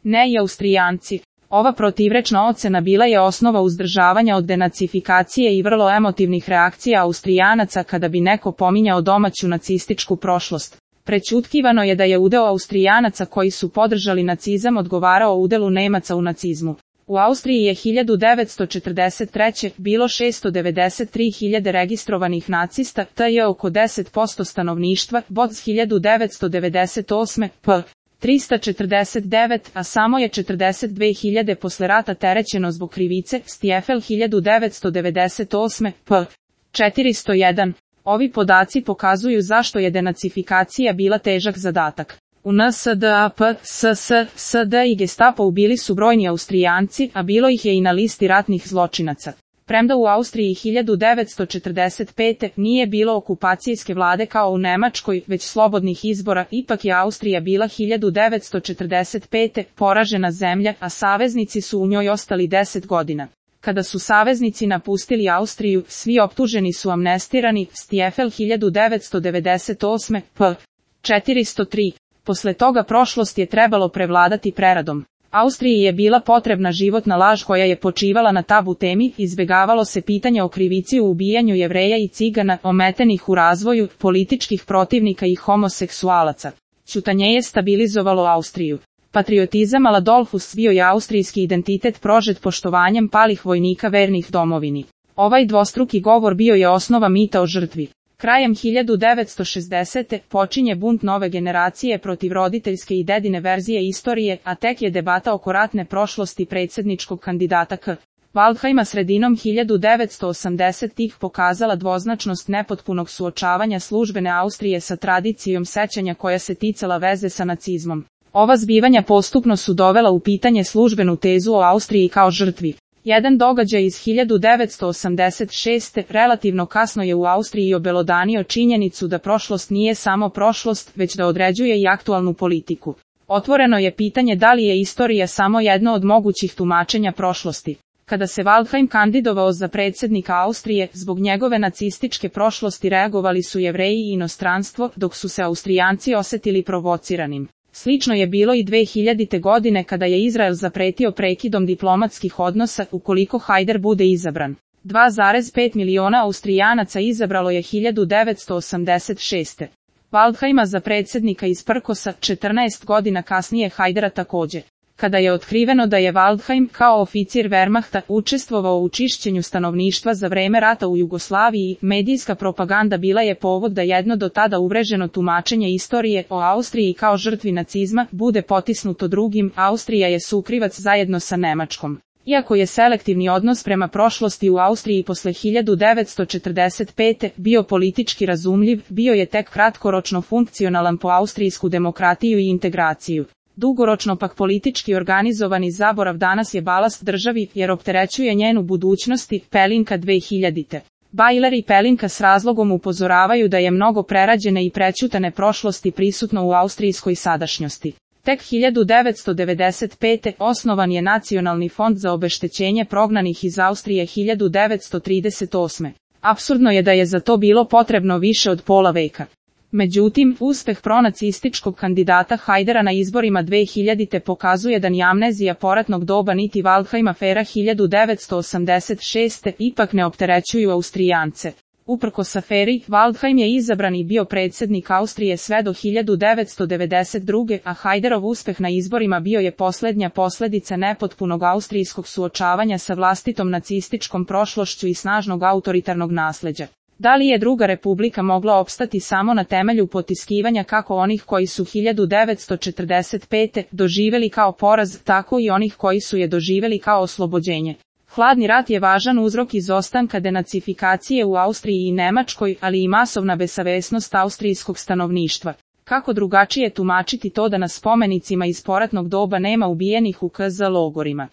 ne i Austrijanci. Ova protivrečna ocena bila je osnova uzdržavanja od denacifikacije i vrlo emotivnih reakcija Austrijanaca kada bi neko pominjao domaću nacističku prošlost. Prećutkivano je da je udeo Austrijanaca koji su podržali nacizam odgovarao udelu Nemaca u nacizmu. U Austriji je 1943. bilo 693.000 registrovanih nacista, to je oko 10% stanovništva, Boc 1998. p. 349, a samo je 42.000 posle rata terećeno zbog krivice, Stiefel 1998. p. 401. Ovi podaci pokazuju zašto je denacifikacija bila težak zadatak. U NSDAP, SSSD i Gestapo ubili su brojni Austrijanci, a bilo ih je i na listi ratnih zločinaca. Premda u Austriji 1945. nije bilo okupacijske vlade kao u Nemačkoj, već slobodnih izbora, ipak je Austrija bila 1945. poražena zemlja, a saveznici su u njoj ostali 10 godina. Kada su saveznici napustili Austriju, svi optuženi su amnestirani, Stiefel 1998. p. 403. Posle toga prošlost je trebalo prevladati preradom. Austriji je bila potrebna životna laž koja je počivala na tabu temi, izbjegavalo se pitanje o krivici u ubijanju Jevreja i Cigana, ometenih u razvoju, političkih protivnika i homoseksualaca. Ćutanje je stabilizovalo Austriju. Patriotizam a la Dollfuss bio je austrijski identitet prožet poštovanjem palih vojnika vernih domovini. Ovaj dvostruki govor bio je osnova mita o žrtvi. Krajem 1960. počinje bunt nove generacije protiv roditeljske i dedine verzije istorije, a tek je debata oko ratne prošlosti predsjedničkog kandidata K. Waldheima sredinom 1980-ih pokazala dvoznačnost nepotpunog suočavanja službene Austrije sa tradicijom sećanja koja se ticala veze sa nacizmom. Ova zbivanja postupno su dovela u pitanje službenu tezu o Austriji kao žrtvi. Jedan događaj iz 1986. relativno kasno je u Austriji obelodanio činjenicu da prošlost nije samo prošlost, već da određuje i aktualnu politiku. Otvoreno je pitanje da li je istorija samo jedno od mogućih tumačenja prošlosti. Kada se Waldheim kandidovao za predsjednika Austrije, zbog njegove nacističke prošlosti reagovali su Jevreji i inostranstvo, dok su se Austrijanci osjetili provociranim. Slično je bilo i 2000. godine kada je Izrael zapretio prekidom diplomatskih odnosa ukoliko Hajder bude izabran. 2,5 miliona Austrijanaca izabralo je 1986. Waldheima za predsjednika iz Prkosa, 14 godina kasnije Hajdera također. Kada je otkriveno da je Waldheim kao oficir Wehrmachta učestvovao u čišćenju stanovništva za vreme rata u Jugoslaviji, medijska propaganda bila je povod da jedno do tada uvreženo tumačenje istorije o Austriji kao žrtvi nacizma bude potisnuto drugim. Austrija je sukrivac zajedno sa Nemačkom. Iako je selektivni odnos prema prošlosti u Austriji posle 1945. bio politički razumljiv, bio je tek kratkoročno funkcionalan po austrijsku demokratiju i integraciju. Dugoročno pak politički organizovani zaborav danas je balast državi jer opterećuje njenu budućnosti. Pelinka 2000. Bajler i Pelinka s razlogom upozoravaju da je mnogo prerađene i prećutane prošlosti prisutno u austrijskoj sadašnjosti. Tek 1995. osnovan je Nacionalni fond za obeštećenje prognanih iz Austrije 1938. Apsurdno je da je za to bilo potrebno više od pola veka. Međutim, uspeh pronacističkog kandidata Hajdera na izborima 2000. pokazuje da ni amnezija poratnog doba niti Waldheim afera 1986. ipak ne opterećuju Austrijance. Uprkos aferi, Waldheim je izabran i bio predsjednik Austrije sve do 1992. a Hajderov uspeh na izborima bio je posljednja posljedica nepotpunog austrijskog suočavanja sa vlastitom nacističkom prošlošću i snažnog autoritarnog nasljeđa. Da li je Druga republika mogla opstati samo na temelju potiskivanja kako onih koji su 1945. doživjeli kao poraz, tako i onih koji su je doživjeli kao oslobođenje? Hladni rat je važan uzrok izostanka denacifikacije u Austriji i Nemačkoj, ali i masovna besavesnost austrijskog stanovništva. Kako drugačije tumačiti to da na spomenicima iz poratnog doba nema ubijenih u KZ logorima?